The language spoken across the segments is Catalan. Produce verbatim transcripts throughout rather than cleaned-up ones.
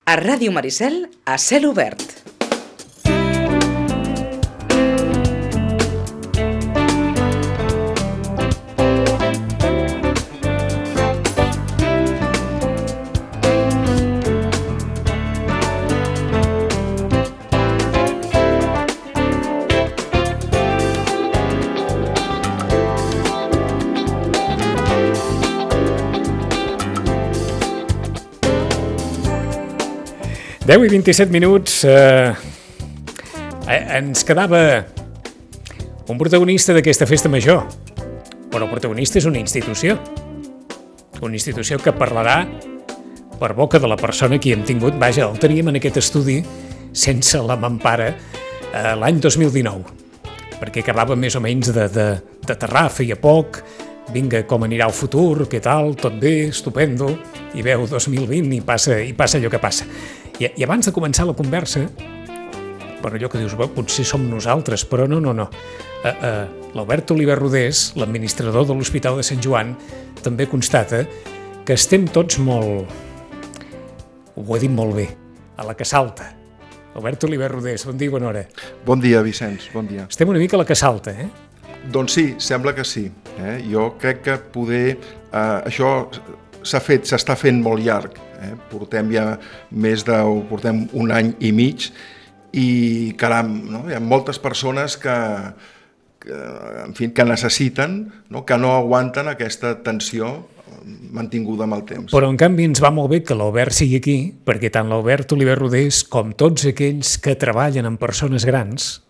A Ràdio Maricel, a cel obert. deu i vint-i-set minuts. Eh, ens quedava un protagonista d'aquesta festa major. Però el protagonista és una institució. Una institució que parlarà per boca de la persona que hi hem tingut. Vaja, el teníem en aquest estudi sense la mampara eh, l'any dos mil dinou. Perquè acabava més o menys de, de, d'aterrar, feia poc. Vinga, com anirà el futur, què tal, tot bé, estupendo. I veu dos mil vint i passa, i passa allò que passa. I, I abans de començar la conversa, per allò que dius, potser som nosaltres, però no, no, no. Uh, uh, L'Albert Oliver Rodés, l'administrador de l'Hospital de Sant Joan, també constata que estem tots molt... Ho he dit molt bé, a la que salta. Albert Oliver Rodés, bon dia i bona hora. Bon dia, Vicenç, bon dia. Estem una mica a la que salta, eh? Doncs sí, sembla que sí. Eh? Jo crec que poder... Eh, això s'ha fet, s'està fent molt llarg. Eh? Portem ja més de... portem un any i mig i, caram, no? Hi ha moltes persones que, que, en fi, que necessiten, no? Que no aguanten aquesta tensió mantinguda amb el temps. Però, en canvi, ens va molt bé que l'Albert sigui aquí, perquè tant l'Albert Oliver Rodés com tots aquells que treballen amb persones grans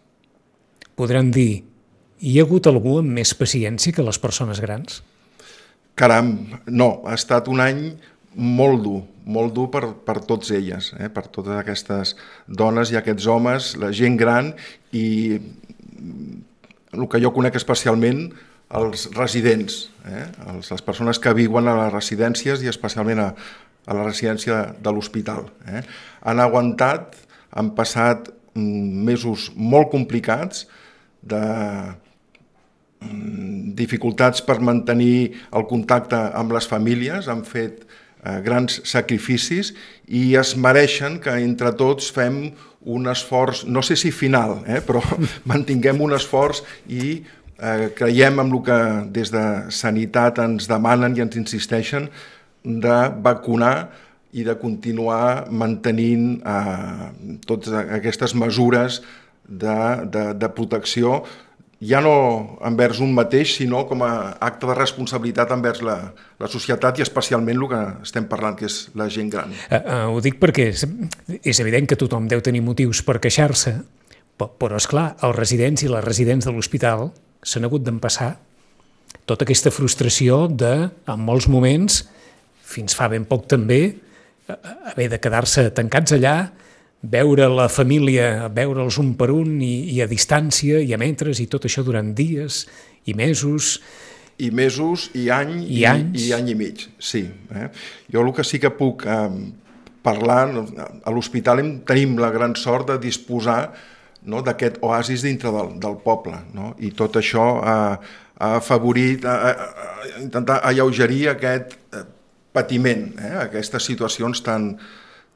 podran dir: hi ha hagut algú amb més paciència que les persones grans? Caram, no, ha estat un any molt dur, molt dur per, per tots elles, eh? Per totes aquestes dones i aquests homes, la gent gran i el que jo conec especialment, els residents, eh? els, les persones que viuen a les residències i especialment a, a la residència de l'hospital. Eh? Han aguantat, han passat mm, mesos molt complicats de dificultats per mantenir el contacte amb les famílies, han fet eh, grans sacrificis i es mereixen que entre tots fem un esforç, no sé si final, eh, però mantinguem un esforç i eh, creiem en el que des de Sanitat ens demanen i ens insisteixen de vacunar i de continuar mantenint eh, totes aquestes mesures de, de, de protecció, ja no envers un mateix, sinó com a acte de responsabilitat envers la, la societat i especialment el que estem parlant, que és la gent gran. Uh, uh, ho dic perquè és, és evident que tothom deu tenir motius per queixar-se, però, però esclar, els residents i les residents de l'hospital s'han hagut d'empassar tota aquesta frustració de, en molts moments, fins fa ben poc també, haver de quedar-se tancats allà, veure la família, veure'ls un per un i, i a distància i a metres i tot això durant dies i mesos. I mesos i any i, i, anys. i any i mig, sí. Eh? Jo el que sí que puc eh, parlar, a l'hospital tenim la gran sort de disposar, no, d'aquest oasis dintre del, del poble, no? I tot això ha, ha afavorit, ha, ha intentat alleugerir aquest patiment, eh? Aquestes situacions tan...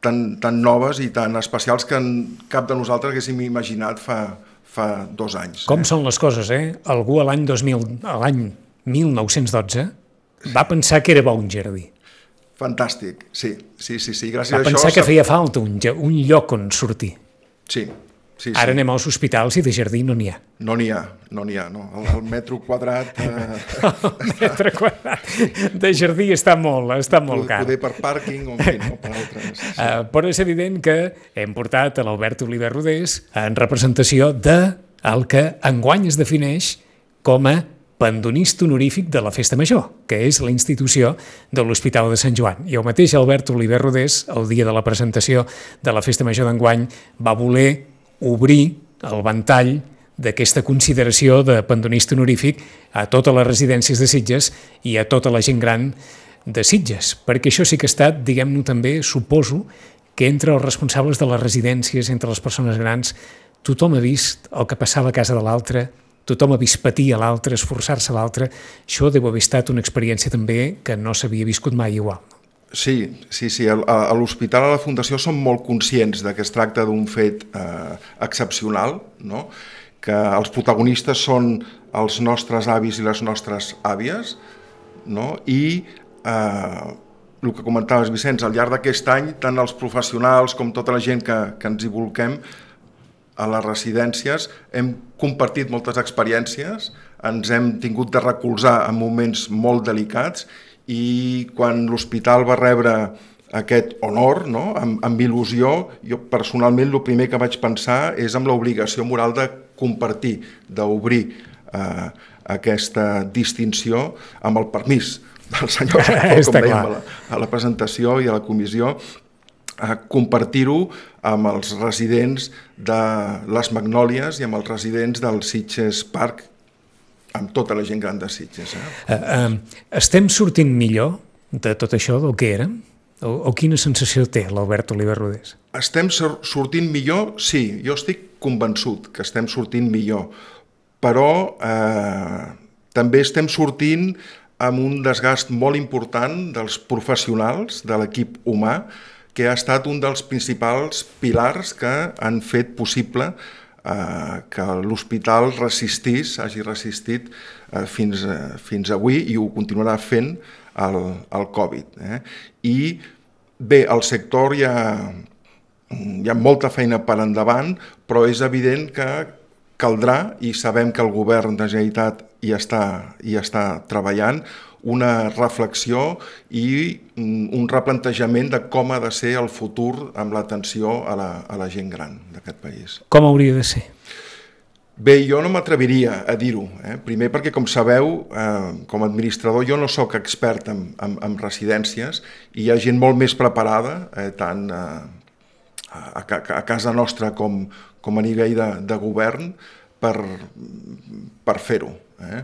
Tan, tan noves i tan especials que en cap de nosaltres haguéssim imaginat fa, fa dos anys. Com eh? són les coses, eh? Algú a l'any dos mil, a l'any mil nou-cents dotze va pensar que era bo un jardí. Fantàstic, sí, sí, sí, sí. Gràcies va a això... pensar que feia falta un, un lloc on sortir. Sí, sí, Ara sí. anem als hospitals i de jardí no n'hi ha. No n'hi ha, no n'hi ha, no. El, el metro quadrat... Eh... el metre quadrat de jardí està molt, està molt car. Poder per pàrquing o en fi, no, per altres. Sí. Uh, però és evident que hem portat a l'Albert Oliver Rodés en representació de el que enguany es defineix com a pandonista honorífic de la Festa Major, que és la institució de l'Hospital de Sant Joan. I el mateix Albert Oliver Rodés, el dia de la presentació de la Festa Major d'enguany, va voler obrir el ventall d'aquesta consideració de pandonista honorífic a totes les residències de Sitges i a tota la gent gran de Sitges, perquè això sí que ha estat, diguem-ne també, suposo, que entre els responsables de les residències, entre les persones grans, tothom ha vist el que passava a casa de l'altre, tothom ha vist patir a l'altre, esforçar-se a l'altre. Això deu haver estat una experiència també que no s'havia viscut mai igual. Sí, sí, sí. A, a l'hospital, a la Fundació, som molt conscients de que es tracta d'un fet eh, excepcional, no? Que els protagonistes són els nostres avis i les nostres àvies, no? I eh, el que comentaves, Vicenç, al llarg d'aquest any, tant els professionals com tota la gent que, que ens hi volquem a les residències, hem compartit moltes experiències, ens hem tingut de recolzar en moments molt delicats, i quan l'hospital va rebre aquest honor, no? amb, amb il·lusió, jo personalment el primer que vaig pensar és amb l'obligació moral de compartir, d'obrir eh, aquesta distinció amb el permís del senyor rector, com dèiem a la, a la presentació i a la comissió, a compartir-ho amb els residents de les Magnòlies i amb els residents del Sitges Park, amb tota la gent gran de Sitges. Eh? Uh, uh, estem sortint millor de tot això del que érem? O, o quina sensació té l'Albert Oliver Rodés? Estem sortint millor? Sí, jo estic convençut que estem sortint millor, però eh, també estem sortint amb un desgast molt important dels professionals, de l'equip humà, que ha estat un dels principals pilars que han fet possible eh, que l'hospital resistís, hagi resistit eh, fins, eh, fins avui, i ho continuarà fent el, el Covid. Eh? I bé, al sector hi ha, hi ha molta feina per endavant, però és evident que caldrà, i sabem que el govern de Generalitat hi està, hi està treballant, una reflexió i un replantejament de com ha de ser el futur amb l'atenció a la, a la gent gran d'aquest país. Com hauria de ser? Bé, jo no m'atreviria a dir-ho. Eh? Primer perquè, com sabeu, eh, com a administrador jo no sóc expert en, en, en residències, i hi ha gent molt més preparada, eh, tant eh, a, a casa nostra com, com a nivell de, de govern, per, per fer-ho. Eh?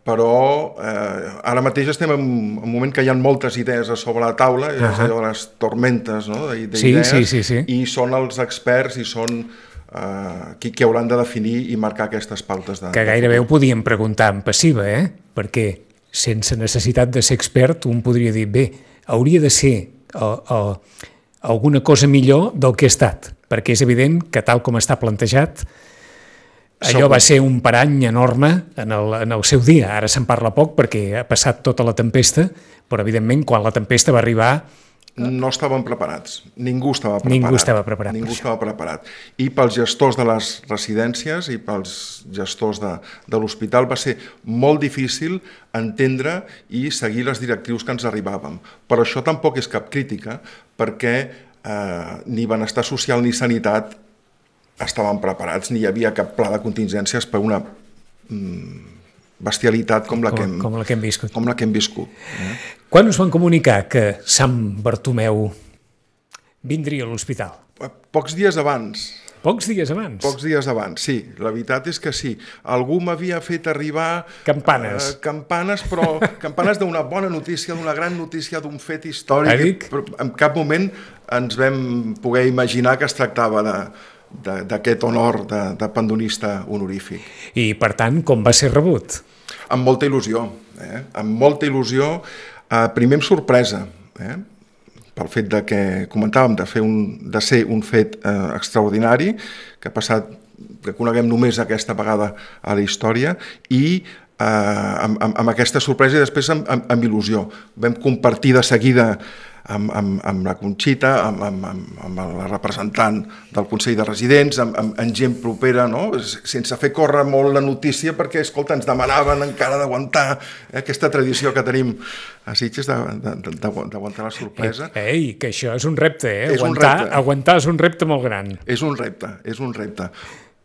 Però eh, ara mateix estem en un moment que hi ha moltes idees a sobre la taula, uh-huh. és allò de les tormentes, no? d'idees, sí, sí, sí, sí. i són els experts i són eh, qui, qui hauran de definir i marcar aquestes pautes. De, que gairebé ho podíem preguntar en passiva, eh? Perquè sense necessitat de ser expert un podria dir, bé, hauria de ser o, o, alguna cosa millor del que ha estat, perquè és evident que tal com està plantejat, allò va ser un parany enorme en el, en el seu dia. Ara se'n parla poc perquè ha passat tota la tempesta, però evidentment quan la tempesta va arribar... No estaven preparats. Ningú estava preparat. Ningú estava preparat. Ningú estava preparat. I pels gestors de les residències i pels gestors de, de l'hospital va ser molt difícil entendre i seguir les directrius que ens arribàvem. Però això tampoc és cap crítica, perquè eh, ni benestar social ni sanitat estaven preparats, ni hi havia cap pla de contingències per una mm, bestialitat com la, com, que hem, com la que hem viscut. Com la que hem viscut eh? Quan us van comunicar que Sant Bartomeu vindria a l'hospital? Pocs dies abans. Pocs dies abans? Pocs dies abans, sí. La veritat és que sí. Algú m'havia fet arribar... Campanes. Eh, campanes, però campanes d'una bona notícia, d'una gran notícia, d'un fet històric. Però en cap moment ens vam poder imaginar que es tractava de... d'aquest honor de, de pandonista honorífic. I, per tant, com va ser rebut? Amb molta il·lusió. Eh? Amb molta il·lusió. Eh, primer amb sorpresa, eh? pel fet de que comentàvem de, fer un, de ser un fet eh, extraordinari, que ha passat, que coneguem només aquesta vegada a la història, i eh, amb, amb, amb aquesta sorpresa i després amb, amb, amb il·lusió. Vam compartir de seguida Amb, amb, amb la Conxita, amb, amb, amb la representant del Consell de Residents, amb, amb, amb gent propera, no? Sense fer córrer molt la notícia, perquè, escolta, ens demanaven encara d'aguantar eh, aquesta tradició que tenim a Sitges d'aguantar la sorpresa. Ei, ei, que això és un repte, eh? És aguantar, un repte. Aguantar és un repte molt gran. És un repte, és un repte.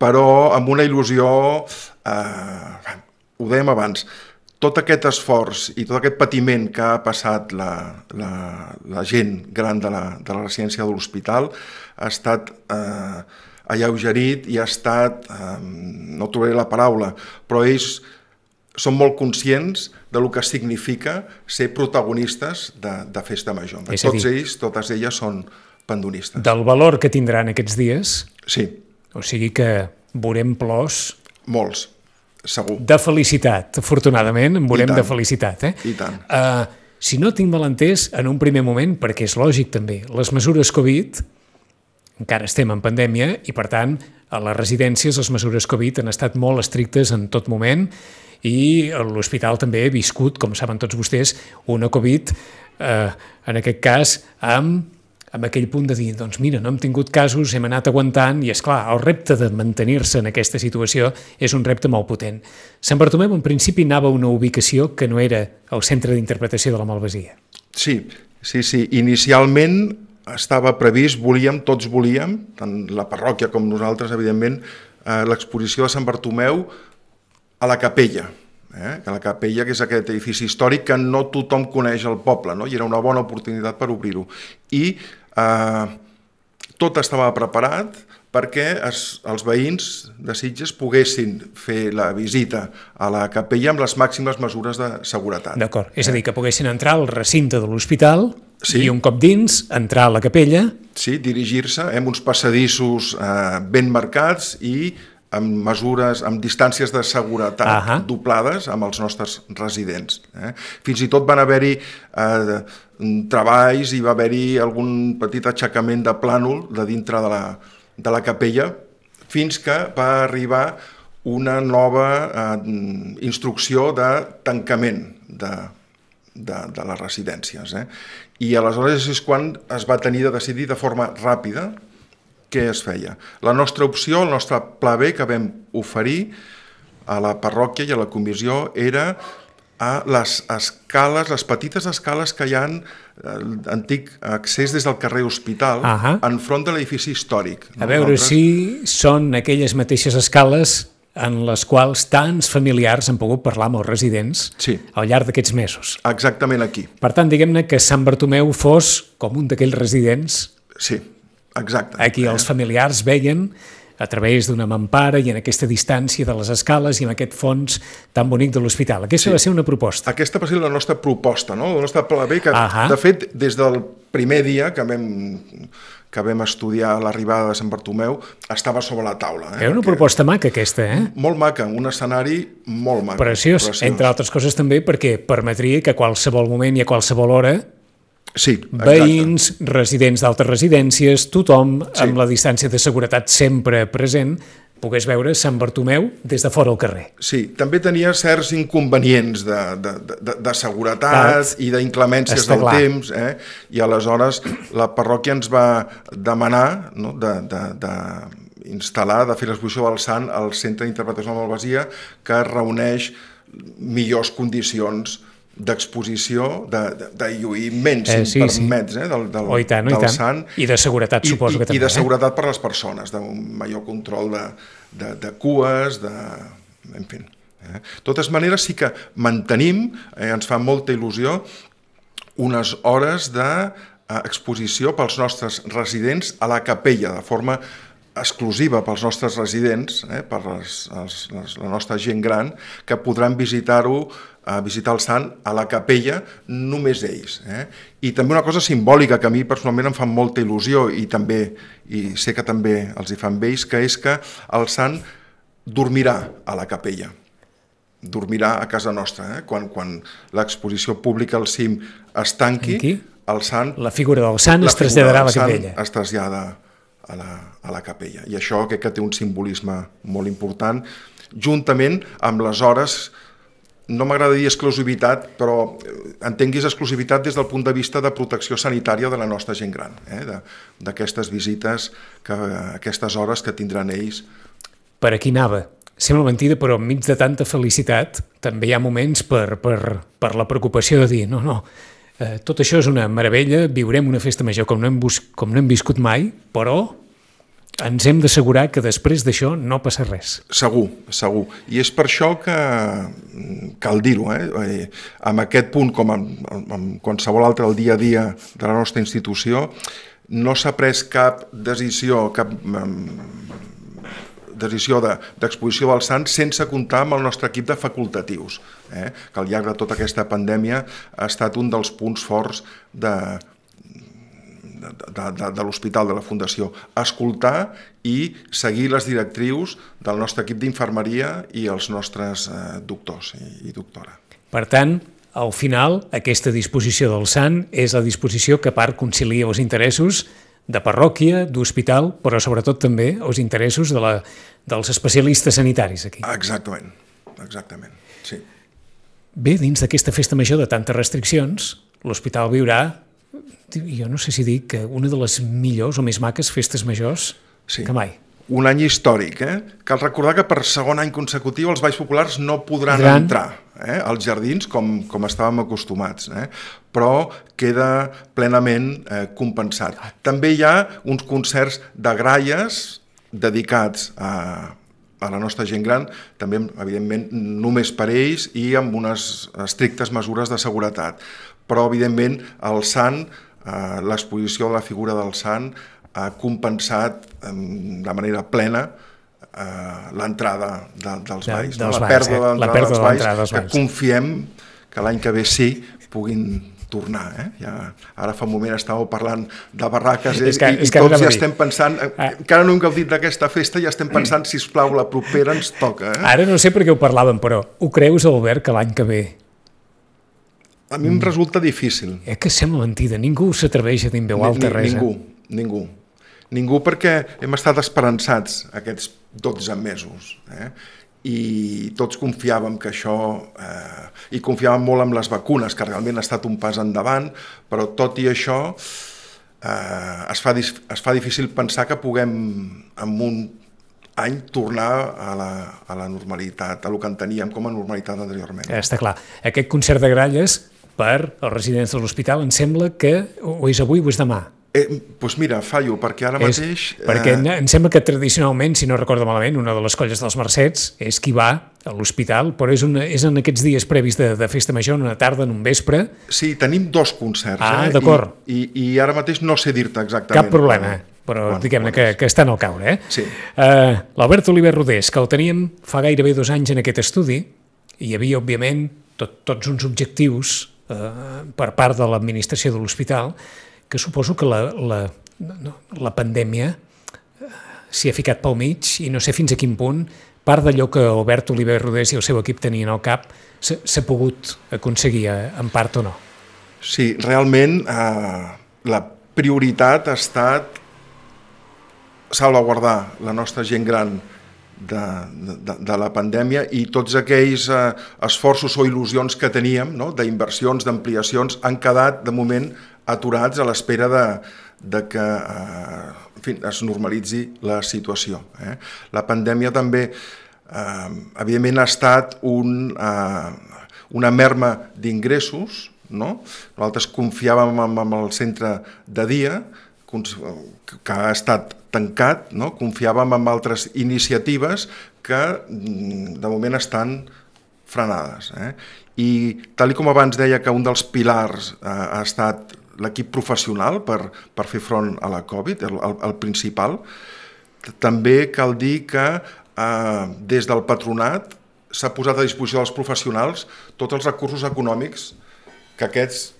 Però amb una il·lusió, eh, ho dèiem abans, tot aquest esforç i tot aquest patiment que ha passat la, la, la gent gran de la, de la residència de l'hospital ha estat eh, alleugerit i ha estat, eh, no trobaré la paraula, però ells són molt conscients de lo que significa ser protagonistes de, de Festa Major. És Tots dir, ells, totes elles són pandonistes. Del valor que tindran aquests dies, sí. O sigui que veurem plors... Molts. Segur. De felicitat, afortunadament, en veurem de felicitat. Eh? I tant. Uh, si no tinc mal entès, en un primer moment, perquè és lògic també, les mesures Covid, encara estem en pandèmia i, per tant, a les residències les mesures Covid han estat molt estrictes en tot moment i l'hospital també ha viscut, com saben tots vostès, una Covid, eh, en aquest cas, amb, amb aquell punt de dir, doncs mira, no hem tingut casos, hem anat aguantant i, és clar, el repte de mantenir-se en aquesta situació és un repte molt potent. Sant Bartomeu, en principi, anava a una ubicació que no era el centre d'interpretació de la Malvasia. Sí, sí, sí. Inicialment estava previst, volíem, tots volíem, tant la parròquia com nosaltres, evidentment, eh, l'exposició de Sant Bartomeu a la capella, eh? que la capella, que és aquest edifici històric que no tothom coneix al poble, no? I era una bona oportunitat per obrir-ho. I eh, tot estava preparat perquè es, els veïns de Sitges poguessin fer la visita a la capella amb les màximes mesures de seguretat. D'acord, és a dir, que poguessin entrar al recinte de l'hospital sí. i un cop dins, entrar a la capella. Sí, dirigir-se amb uns passadissos eh, ben marcats i amb mesures, amb distàncies de seguretat uh-huh. doblades amb els nostres residents. Eh? Fins i tot van haver-hi eh, treballs i va haver-hi algun petit aixecament de plànol de dintre de la, de la capella fins que va arribar una nova eh, instrucció de tancament de, de, de les residències. Eh? I aleshores és quan es va tenir de decidir de forma ràpida què es feia. La nostra opció, el nostre pla B que vam oferir a la parròquia i a la comissió era a les escales, les petites escales que hi ha l'antic accés des del carrer Hospital uh-huh. enfront de l'edifici històric. A veure Nosaltres... si són aquelles mateixes escales en les quals tants familiars han pogut parlar amb els residents sí. al llarg d'aquests mesos. Exactament aquí. Per tant, diguem-ne que Sant Bartomeu fos com un d'aquells residents sí. Exacte. Aquí els familiars veien a través d'una mampara i en aquesta distància de les escales i en aquest fons tan bonic de l'hospital. Aquesta sí. va ser una proposta. Aquesta va ser la nostra proposta, no? El nostre pla B, que uh-huh. de fet, des del primer dia que vam, que vam estudiar l'arribada de Sant Bartomeu, estava sobre la taula. Eh? Era una Perquè... proposta maca, aquesta, eh? Molt maca, un escenari molt maco. Preciós, preciós, entre altres coses també perquè permetria que a qualsevol moment i a qualsevol hora sí, veïns, residents d'altres residències, tothom sí. amb la distància de seguretat sempre present, pogués veure Sant Bartomeu des de fora al carrer. Sí, també tenia certs inconvenients de, de, de, de seguretat Tat. i d'inclemències del clar. temps, eh? I aleshores la parròquia ens va demanar no, de, de, de instal·lar, de fer l'exposició del Sant al Centre d'Interpretació de la Malvasia, que reuneix millors condicions d'exposició, de, de, de lluïment, si eh, sí, em permets, sí. eh, del, del, oh, i tant, del i tant. Sant. I de seguretat, I, suposo i, que també. I de seguretat eh? per les persones, d'un major control de, de, de cues, de... en fi. Eh? De totes maneres, sí que mantenim, eh, ens fa molta il·lusió, unes hores d'exposició pels nostres residents a la capella, de forma exclusiva pels nostres residents, eh, per les, els, les, la nostra gent gran, que podran visitar-ho, a visitar el Sant a la capella, només ells. Eh? I també una cosa simbòlica que a mi personalment em fa molta il·lusió i també i sé que també els hi fan ells, que és que el Sant dormirà a la capella, dormirà a casa nostra. Eh? Quan, quan l'exposició pública al cim es tanqui, Aquí? el Sant... La figura del Sant es traslladarà a la capella. Es trasllada a la, a la capella. I això crec que té un simbolisme molt important, juntament amb les hores, no m'agrada dir exclusivitat, però entenguis exclusivitat des del punt de vista de protecció sanitària de la nostra gent gran, eh? d'aquestes visites, que, aquestes hores que tindran ells. Per aquí anava. Sembla mentida, però enmig de tanta felicitat també hi ha moments per, per, per la preocupació de dir no, no, eh, tot això és una meravella, viurem una festa major com no hem, bus- com no hem viscut mai, però ens hem d'assegurar que després d'això no passa res. Segur, segur. I és per això que cal dir-ho, eh? Amb aquest punt, com amb, amb qualsevol altre del dia a dia de la nostra institució, no s'ha pres cap decisió, cap um, decisió de, d'exposició del Sant sense comptar amb el nostre equip de facultatius, eh? que al llarg de tota aquesta pandèmia ha estat un dels punts forts de De, de, de l'hospital, de la Fundació, escoltar i seguir les directrius del nostre equip d'infermeria i els nostres eh, doctors i, i doctora. Per tant, al final, aquesta disposició del sant és la disposició que a part concilia els interessos de parròquia, d'hospital, però sobretot també els interessos de la, dels especialistes sanitaris aquí. Exactament, exactament, sí. Bé, dins d'aquesta festa major de tantes restriccions, l'hospital viurà, jo no sé si dic que una de les millors o més maques festes majors sí. que mai. Un any històric, eh? Cal recordar que per segon any consecutiu els balls populars no podran Gran. entrar eh? als jardins com, com estàvem acostumats, eh? però queda plenament eh, compensat. També hi ha uns concerts de gralles dedicats a, a la nostra gent gran, també, evidentment, només per ells i amb unes estrictes mesures de seguretat. Però, evidentment, el sant, eh, l'exposició de la figura del sant, ha compensat de manera plena eh, l'entrada de, dels balls, de, no? dels la balls, pèrdua eh? de l'entrada dels balls, que balls. confiem que l'any que ve sí puguin tornar. Eh? Ja, ara fa un moment estàveu parlant de barraques eh? És que, i, és i que tots ja estem pensant, ah. encara no hem gaudit d'aquesta festa, ja estem pensant, sisplau, la propera ens toca. Eh? Ara no sé per què ho parlàvem, però ho creus, Albert, que l'any que ve? A mi em resulta difícil. Eh que sembla mentida, ningú s'atreveix a dir en veu alta res. Ningú, ningú. Ningú perquè hem estat esperançats aquests dotze mesos eh? I tots confiàvem que això, eh, i confiàvem molt en les vacunes, que realment ha estat un pas endavant, però tot i això eh, es, fa, es fa difícil pensar que puguem en un any tornar a la, a la normalitat, a el que en teníem com a normalitat anteriorment. Està clar. Aquest concert de gralles per als residents de l'hospital em sembla que o és avui o és demà. Eh, doncs mira, fallo, perquè ara és, mateix... Perquè eh... em sembla que tradicionalment, si no recordo malament, una de les colles dels Mercets és qui va a l'hospital, però és, una, és en aquests dies previs de, de festa major, en una tarda, en un vespre. Sí, tenim dos concerts. Ah, eh? d'acord. I, i, I ara mateix no sé dir-te exactament. Cap problema, però, però bueno, diguem-ne que, que estan al caure. Eh? Sí. Uh, L'Albert Oliver Rodés, que el teníem fa gairebé dos anys en aquest estudi, hi havia, òbviament, tot, tots uns objectius uh, per part de l'administració de l'hospital, que suposo que la, la, no, la pandèmia s'hi ha ficat pel mig i no sé fins a quin punt part d'allò que Albert Oliver Rodés i el seu equip tenien al cap s'ha pogut aconseguir en part o no. Sí, realment eh, la prioritat ha estat salvaguardar la nostra gent gran de, de, de la pandèmia i tots aquells eh, esforços o il·lusions que teníem, no? D'inversions, d'ampliacions, han quedat de moment aturats a l'espera de, de que eh, en fi, es normalitzi la situació. Eh? La pandèmia també, eh, evidentment, ha estat un, eh, una merma d'ingressos, no? Nosaltres confiàvem en, en el centre de dia, que ha estat tancat, no? Confiàvem en altres iniciatives que de moment estan frenades. Eh? I tal com abans deia que un dels pilars eh, ha estat l'equip professional per, per fer front a la Covid, el, el, el principal, també cal dir que eh, des del patronat s'ha posat a disposició dels professionals tots els recursos econòmics que aquests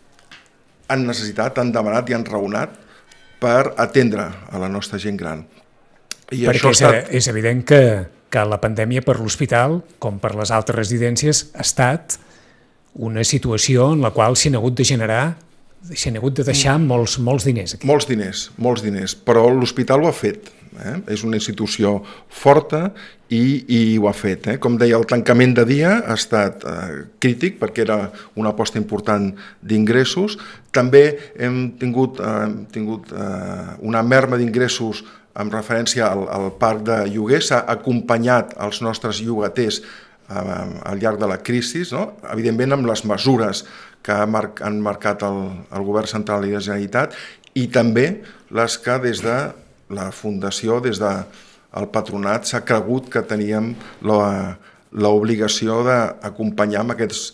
han necessitat, han demanat i han raonat per atendre a la nostra gent gran. I perquè això és, estat... és evident que, que la pandèmia per l'hospital, com per les altres residències, ha estat una situació en la qual s'hi han hagut de generar, s'hi han hagut de deixar molts, molts diners. Aquí. Molts diners, molts diners, però l'hospital ho ha fet. Eh? És una institució forta i, i ho ha fet. Eh? Com deia, el tancament de dia ha estat eh, crític perquè era una aposta important d'ingressos. També hem tingut, eh, hem tingut eh, una merma d'ingressos en referència al, al parc de lloguer. S'ha acompanyat els nostres llogaters eh, al llarg de la crisi, no? Evidentment amb les mesures que han marcat el, el govern central i la Generalitat i també les que des de la Fundació, des del patronat, s'ha cregut que teníem l'obligació d'acompanyar amb aquests,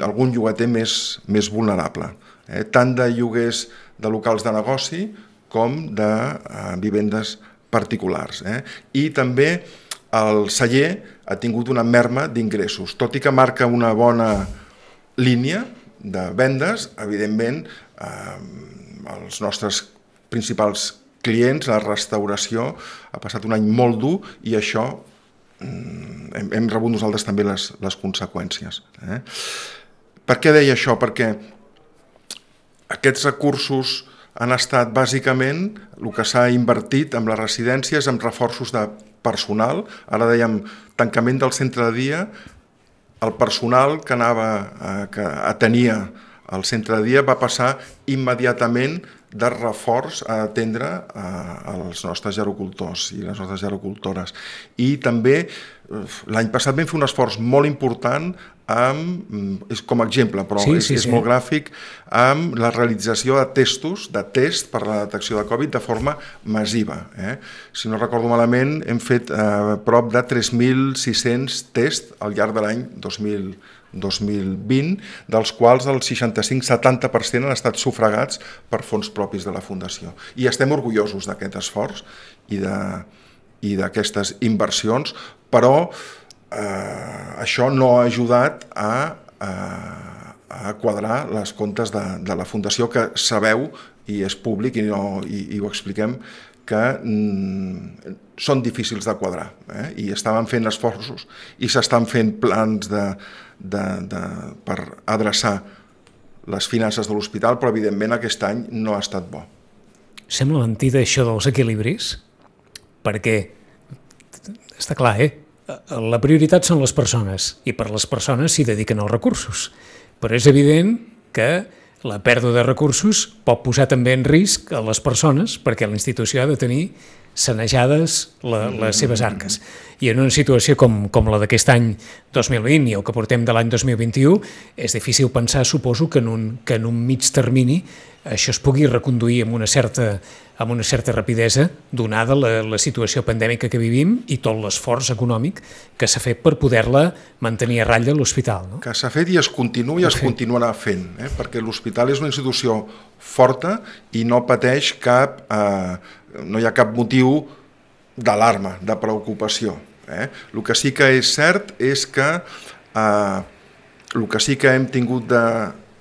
algun llogater més, més vulnerable, eh? Tant de lloguers de locals de negoci com de eh, vivendes particulars. Eh? I també el celler ha tingut una merma d'ingressos, tot i que marca una bona línia de vendes, evidentment, eh, els nostres principals clients, la restauració, ha passat un any molt dur i això mm, hem, hem rebut nosaltres també les, les conseqüències. Eh? Per què deia això? Perquè aquests recursos han estat bàsicament el que s'ha invertit en les residències, en reforços de personal. Ara dèiem tancament del centre de dia, el personal que anava, eh, que atenia el centre de dia va passar immediatament de reforç a atendre eh, els nostres gerocultors i les nostres gerocultores. I també l'any passat vam fer un esforç molt important amb, és com a exemple, però sí, és, sí, és sí. molt gràfic, amb la realització de testos, de test per la detecció de Covid de forma massiva. Eh? Si no recordo malament, hem fet eh, prop de tres mil sis-cents tests al llarg de l'any dos mil vint, dels quals el seixanta-cinc a setanta per cent han estat sufragats per fons propis de la Fundació. I estem orgullosos d'aquest esforç i de, i d'aquestes inversions, però eh, això no ha ajudat a, a, a quadrar les comptes de, de la Fundació, que sabeu, i és públic i, no, i, i ho expliquem, que mm, són difícils de quadrar, eh? I estaven fent esforços i s'estan fent plans de, de, de, per adreçar les finances de l'hospital, però evidentment aquest any no ha estat bo. Sembla mentida això dels equilibris, perquè està clar, eh? La prioritat són les persones i per les persones s'hi dediquen els recursos, però és evident que la pèrdua de recursos pot posar també en risc a les persones, perquè la institució ha de tenir sanejades la, les seves arques. I en una situació com, com la d'aquest any dos mil vint i el que portem de l'any dos mil vint-i-u, és difícil pensar, suposo, que en un, que en un mig termini això es pugui reconduir amb una certa, amb una certa rapidesa, donada la, la situació pandèmica que vivim i tot l'esforç econòmic que s'ha fet per poder-la mantenir a ratlla a l'hospital. No? Que s'ha fet i es continua i es continuarà fent, eh? Perquè l'hospital és una institució forta i no pateix cap, eh, no hi ha cap motiu d'alarma, de preocupació. Eh? El que sí que és cert és que eh, el que sí que hem tingut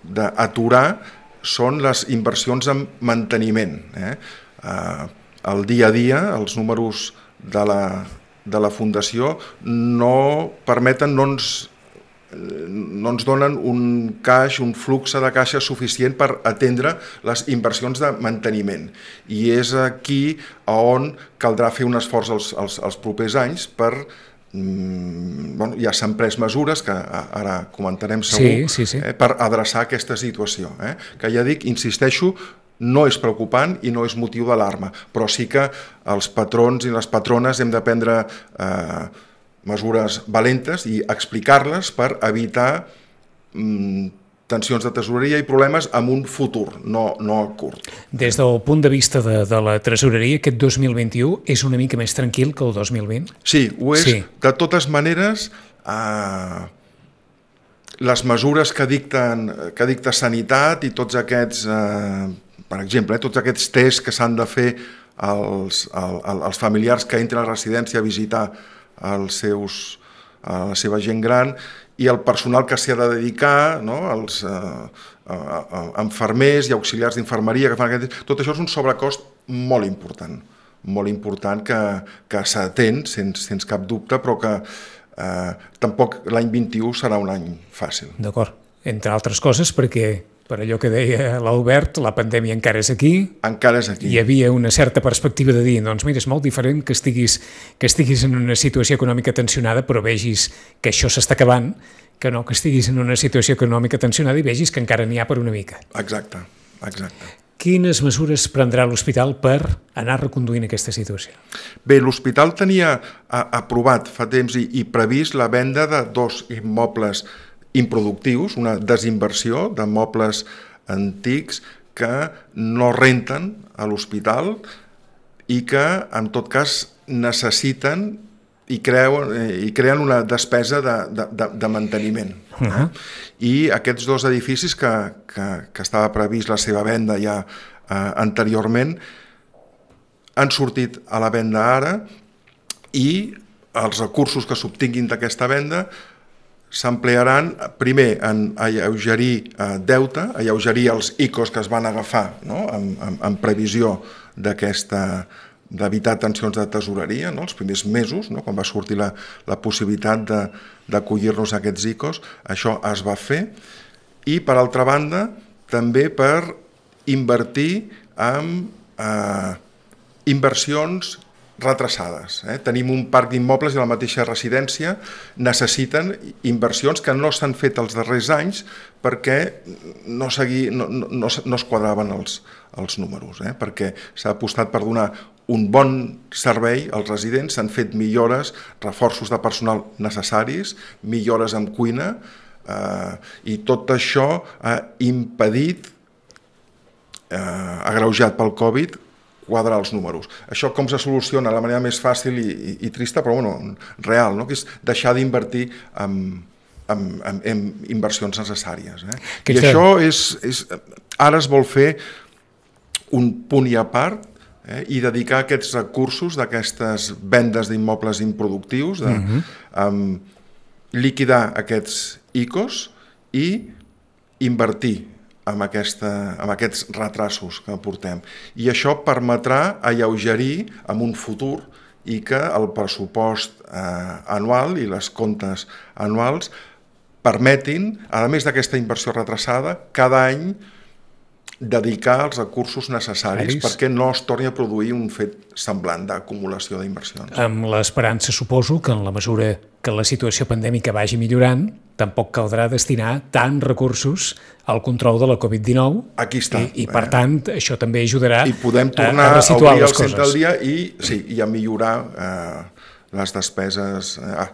d'aturar són les inversions en manteniment. Eh? Eh, el dia a dia, els números de la, de la Fundació no permeten, no ens, no ens donen un caix, un flux de caixa suficient per atendre les inversions de manteniment. I és aquí on caldrà fer un esforç els, els, els propers anys per... Bueno, ja s'han pres mesures que ara comentarem segur, sí, sí, sí. Eh, per adreçar aquesta situació, eh? Que ja dic, insisteixo, no és preocupant i no és motiu d'alarma, però sí que els patrons i les patrones hem de prendre eh, mesures valentes i explicar-les per evitar mm, tensions de tesoreria i problemes en un futur, no, no a curt. Des del punt de vista de, de la tresoreria, aquest dos mil vint-i-u és una mica més tranquil que el dos mil vint? Sí, ho és. Sí. De totes maneres, eh, les mesures que dicten, que dicta Sanitat i tots aquests, eh, per exemple, eh, tots aquests tests que s'han de fer als, als, als familiars que entren a la residència a visitar els seus, a la seva gent gran, i el personal que s'hi ha de dedicar, no? Els eh, eh, infermers i auxiliars d'infermeria que fan aquest... Tot això és un sobrecost molt important, molt important que, que s'atén sense, sense cap dubte, però que eh, tampoc l'any vint-i-u serà un any fàcil. D'acord, entre altres coses perquè, per allò que deia l'Albert, la pandèmia encara és aquí. Encara és aquí. Hi havia una certa perspectiva de dir, doncs mira, és molt diferent que estiguis, que estiguis en una situació econòmica tensionada però vegis que això s'està acabant, que no que estiguis en una situació econòmica tensionada i vegis que encara n'hi ha per una mica. Exacte, exacte. Quines mesures prendrà l'hospital per anar reconduint aquesta situació? Bé, l'hospital tenia a, aprovat fa temps i, i previst la venda de dos immobles improductius, una desinversió de mobles antics que no renten a l'hospital i que, en tot cas, necessiten i, creuen, i creen una despesa de, de, de manteniment. Uh-huh. I aquests dos edificis que, que, que estava previst la seva venda ja eh, anteriorment han sortit a la venda ara i els recursos que s'obtinguin d'aquesta venda s'emplearan primer en alleugerir eh, deute, alleugerir els I C Os que es van agafar, no? en, en, en previsió d'aquesta d'evitar tensions de tesoreria, no? Els primers mesos, no? Quan va sortir la, la possibilitat de, d'acollir-nos a aquests I C Os, això es va fer, i, per altra banda, també per invertir en eh, inversions retrasades. Eh? Tenim un parc d'immobles i la mateixa residència necessiten inversions que no s'han fet els darrers anys perquè no, segui, no, no, no, no es quadraven els, els números, eh? Perquè s'ha apostat per donar un bon servei als residents, s'han fet millores, reforços de personal necessaris, millores en cuina, eh, i tot això ha impedit, eh, agreujat pel Covid, quadrar els números. Això com se soluciona de la manera més fàcil i, i, i trista, però bueno, real, no? Que és deixar d'invertir en, en, en, en inversions necessàries. Eh? I això és, és... Ara es vol fer un punt i a part, eh? I dedicar aquests recursos d'aquestes vendes d'immobles improductius, de uh-huh. um, liquidar aquests I C Os i invertir amb, aquesta, amb aquests retrasos que portem. I això permetrà alleugerir en un futur i que el pressupost eh, anual i les comptes anuals permetin, a més d'aquesta inversió retrasada, cada any dedicar els recursos necessaris Aris. Perquè no es torni a produir un fet semblant d'acumulació d'inversions. Amb l'esperança, suposo, que en la mesura que la situació pandèmica vagi millorant, tampoc caldrà destinar tants recursos al control de la covid dinou. Aquí està. I, i per eh? tant, això també ajudarà I podem tornar a, a resituar a obrir les el coses. centre al dia i, sí, i a millorar eh, les despeses, eh,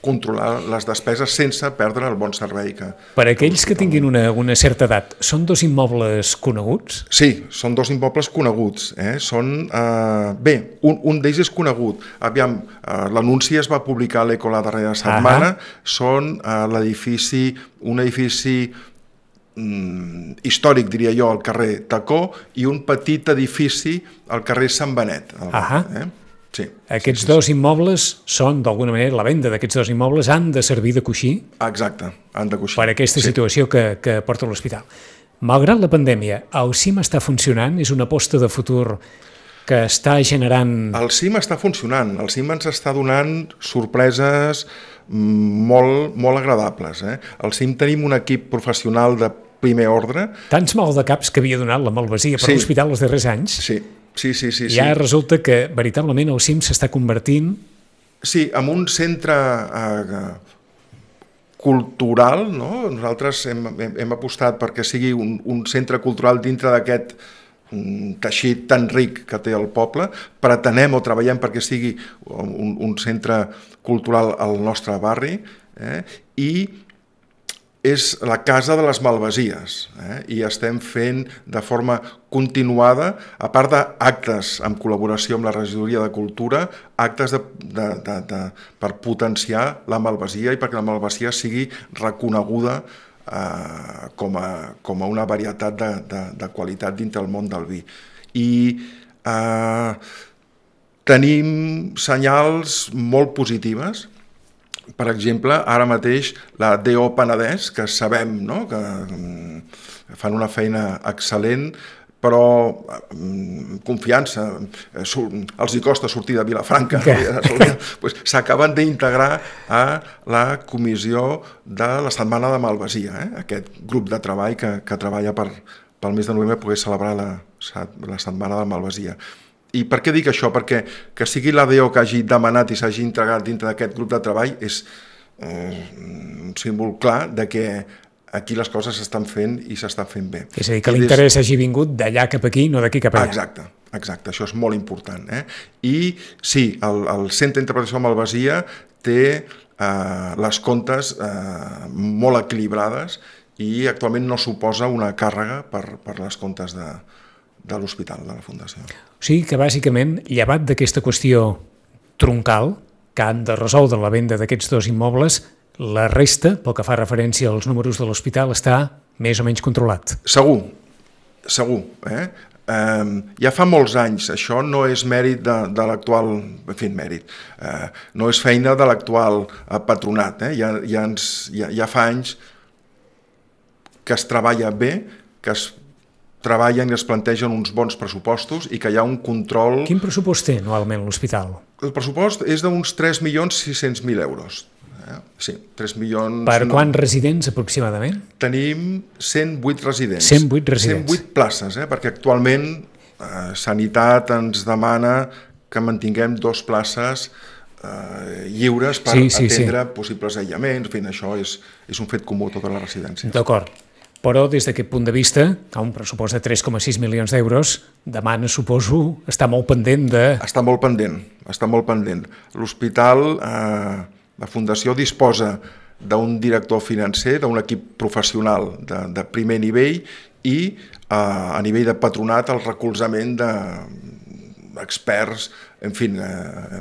controlar les despeses sense perdre el bon servei que... Per aquells que tinguin una, una certa edat, són dos immobles coneguts? Sí, són dos immobles coneguts. Eh? Són, eh, bé, un, un d'ells és conegut. Aviam, eh, l'anunci es va publicar a l'Eco la darrera setmana. Ahà. Són eh, l'edifici, un edifici mm, històric, diria jo, al carrer Tacó, i un petit edifici al carrer Sant Benet. Ahà. Eh? Sí, Aquests sí, sí, dos sí. immobles són, d'alguna manera, la venda d'aquests dos immobles han de servir de coixí. Exacte, han de coixí. Per aquesta sí. situació que, que porta l'hospital. Malgrat la pandèmia, el C I M està funcionant? És una aposta de futur que està generant... El C I M està funcionant. El C I M ens està donant sorpreses molt, molt agradables. Eh? Al C I M tenim un equip professional de primer ordre. Tants mal de caps que havia donat la malvasia per sí. l'hospital els darrers anys. Sí. Sí, sí, sí, ja sí. resulta que veritablement el C I M s'està convertint... Sí, en un centre eh, cultural, no? Nosaltres hem, hem, hem apostat perquè sigui un, un centre cultural dintre d'aquest um, teixit tan ric que té el poble. Pretenem o treballem perquè sigui un, un centre cultural al nostre barri, eh? I és la casa de les malvasies, eh? I estem fent de forma continuada, a part d'actes en col·laboració amb la Regidoria de Cultura, actes de, de, de, de, per potenciar la malvasia i perquè la malvasia sigui reconeguda eh, com, a, com a una varietat de, de, de qualitat dintre el món del vi. I eh, tenim senyals molt positives. Per exemple, ara mateix la D O Penedès, que sabem, no?, que fan una feina excel·lent, però confiança, els hi costa sortir de Vilafranca, pues, s'acaben d'integrar a la comissió de la Setmana de Malvasia, eh? Aquest grup de treball que, que treballa per, pel mes de novembre poder celebrar la, la Setmana de Malvasia. I per què dic això? Perquè que sigui l'A D O que hagi demanat i s'hagi integrat dintre d'aquest grup de treball és eh, un símbol clar de que aquí les coses s'estan fent i s'estan fent bé. És a dir, que l'interès hagi vingut d'allà cap aquí, no d'aquí cap allà. Exacte, exacte, això és molt important. Eh? I sí, el, el Centre d'Interpretació de Malvasia té eh, les comptes eh, molt equilibrades i actualment no suposa una càrrega per, per les comptes de, de l'hospital, de la Fundació. O sigui que, bàsicament, llevat d'aquesta qüestió troncal, que han de resoldre la venda d'aquests dos immobles, la resta, pel que fa referència als números de l'hospital, està més o menys controlat. Segur, segur. Eh? Eh, ja fa molts anys, això no és mèrit de, de l'actual, en fi, mèrit, eh, no és feina de l'actual patronat. Eh? Ja, ja, ens, ja, ja fa anys que es treballa bé, que es treballen i es plantegen uns bons pressupostos i que hi ha un control... Quin pressupost té anualment l'hospital? El pressupost és d'uns tres milions sis-cents mil euros. Eh? Sí, tres milions... Per no. quants residents aproximadament? Tenim cent vuit residents. cent vuit residents. cent vuit places, eh? Perquè actualment eh, Sanitat ens demana que mantinguem dos places eh, lliures per sí, sí, atendre sí. possibles aïllaments. En fi, això és, és un fet comú a totes les residències. D'acord. Però des d'aquest punt de vista, a un pressupost de tres coma sis milions d'euros, demana, suposo, està molt pendent de... Està molt pendent, està molt pendent. L'hospital, eh, la Fundació disposa d'un director financer, d'un equip professional de, de primer nivell i eh, a nivell de patronat el recolzament d'experts, en fi, eh,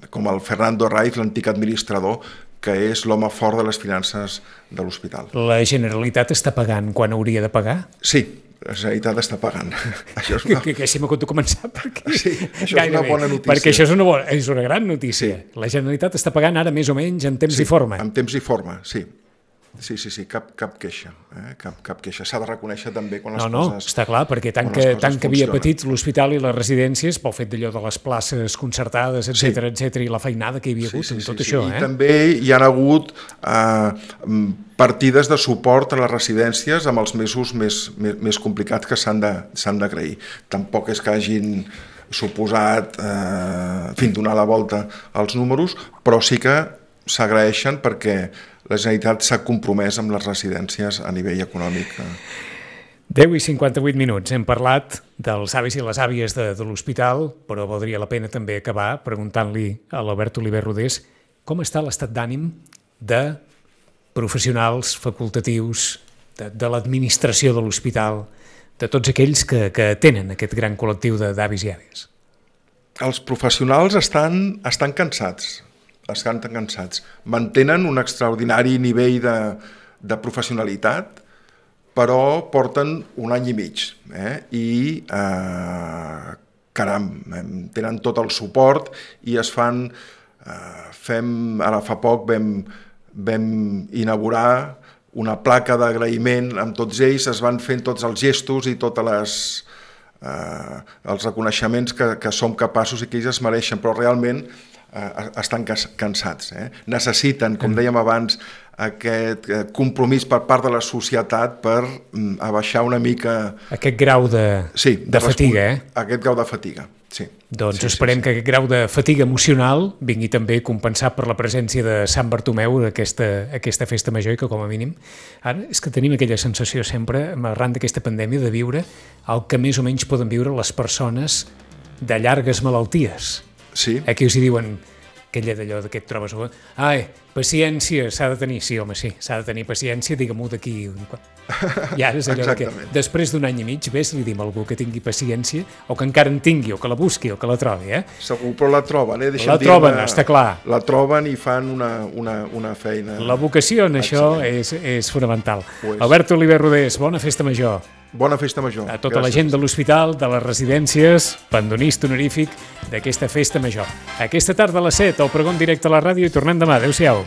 com el Fernando Raiz, l'antic administrador, que és l'home fort de les finances de l'hospital. La Generalitat està pagant quan hauria de pagar? Sí, la Generalitat està pagant. Això és una... Que, que si m'ho conto començar, perquè... Sí, això és una bona notícia. Perquè això és una, bona, és una gran notícia. Sí. La Generalitat està pagant ara més o menys en temps sí, i forma. en temps i forma, sí. Sí, sí, sí, cap, cap queixa. Eh? Cap, cap queixa. S'ha de reconèixer també quan les no, no, coses... No, està clar, perquè tant que, tant que havia patit l'hospital i les residències pel fet d'allò de les places concertades, etcètera, sí. etcètera, i la feinada que hi havia hagut sí, sí, en tot sí, això. Sí. Eh? I també hi ha hagut eh, partides de suport a les residències amb els mesos més, més, més complicats que s'han de, s'han d'agrair. Tampoc és que hagin suposat eh, en fi, donar la volta als números, però sí que s'agraeixen perquè la Generalitat s'ha compromès amb les residències a nivell econòmic. deu i cinquanta-vuit minuts. Hem parlat dels avis i les àvies de, de l'hospital, però valdria la pena també acabar preguntant-li a l'Albert Oliver Rodés com està l'estat d'ànim de professionals facultatius, de, de l'administració de l'hospital, de tots aquells que, que tenen aquest gran col·lectiu d'avis i àvies. Els professionals estan, estan cansats. estan tan cansats. Mantenen un extraordinari nivell de, de professionalitat, però porten un any i mig. Eh? I, eh, caram, tenen tot el suport i es fan... Eh, fem, ara fa poc vam, vam inaugurar una placa d'agraïment amb tots ells, es van fent tots els gestos i totes les... Eh, els reconeixements que, que som capaços i que ells es mereixen, però realment eh, estan cansats. Eh? Necessiten, com dèiem abans, aquest compromís per part de la societat per mm, abaixar una mica... Aquest grau de, sí, de, de fatiga, eh? Aquest grau de fatiga, sí. Doncs sí, esperem sí, sí. que aquest grau de fatiga emocional vingui també compensat per la presència de Sant Bartomeu aquesta, aquesta festa major i que com a mínim ara és que tenim aquella sensació sempre arran d'aquesta pandèmia de viure el que més o menys poden viure les persones de llargues malalties. Sí. Aquí us hi diuen aquella d'allò que et trobes... Ai, paciència, s'ha de tenir... Sí, home, sí, s'ha de tenir paciència, digue-m'ho d'aquí... I ara és allò que després d'un any i mig ves, li dim a algú que tingui paciència o que encara en tingui, o que la busqui, o que la trobi, eh? Segur, però la troben, eh? Deixa'm la troben, està clar. La troben i fan una, una, una feina... La vocació en això és, és fonamental. Pues... Albert Oliver Rodés, bona festa major. Bona festa major. A tota Gràcies. La gent de l'hospital, de les residències, pandonista honorífic d'aquesta festa major. Aquesta tarda a les set, el pregó en directe a la ràdio i tornem demà. Adéu-siau.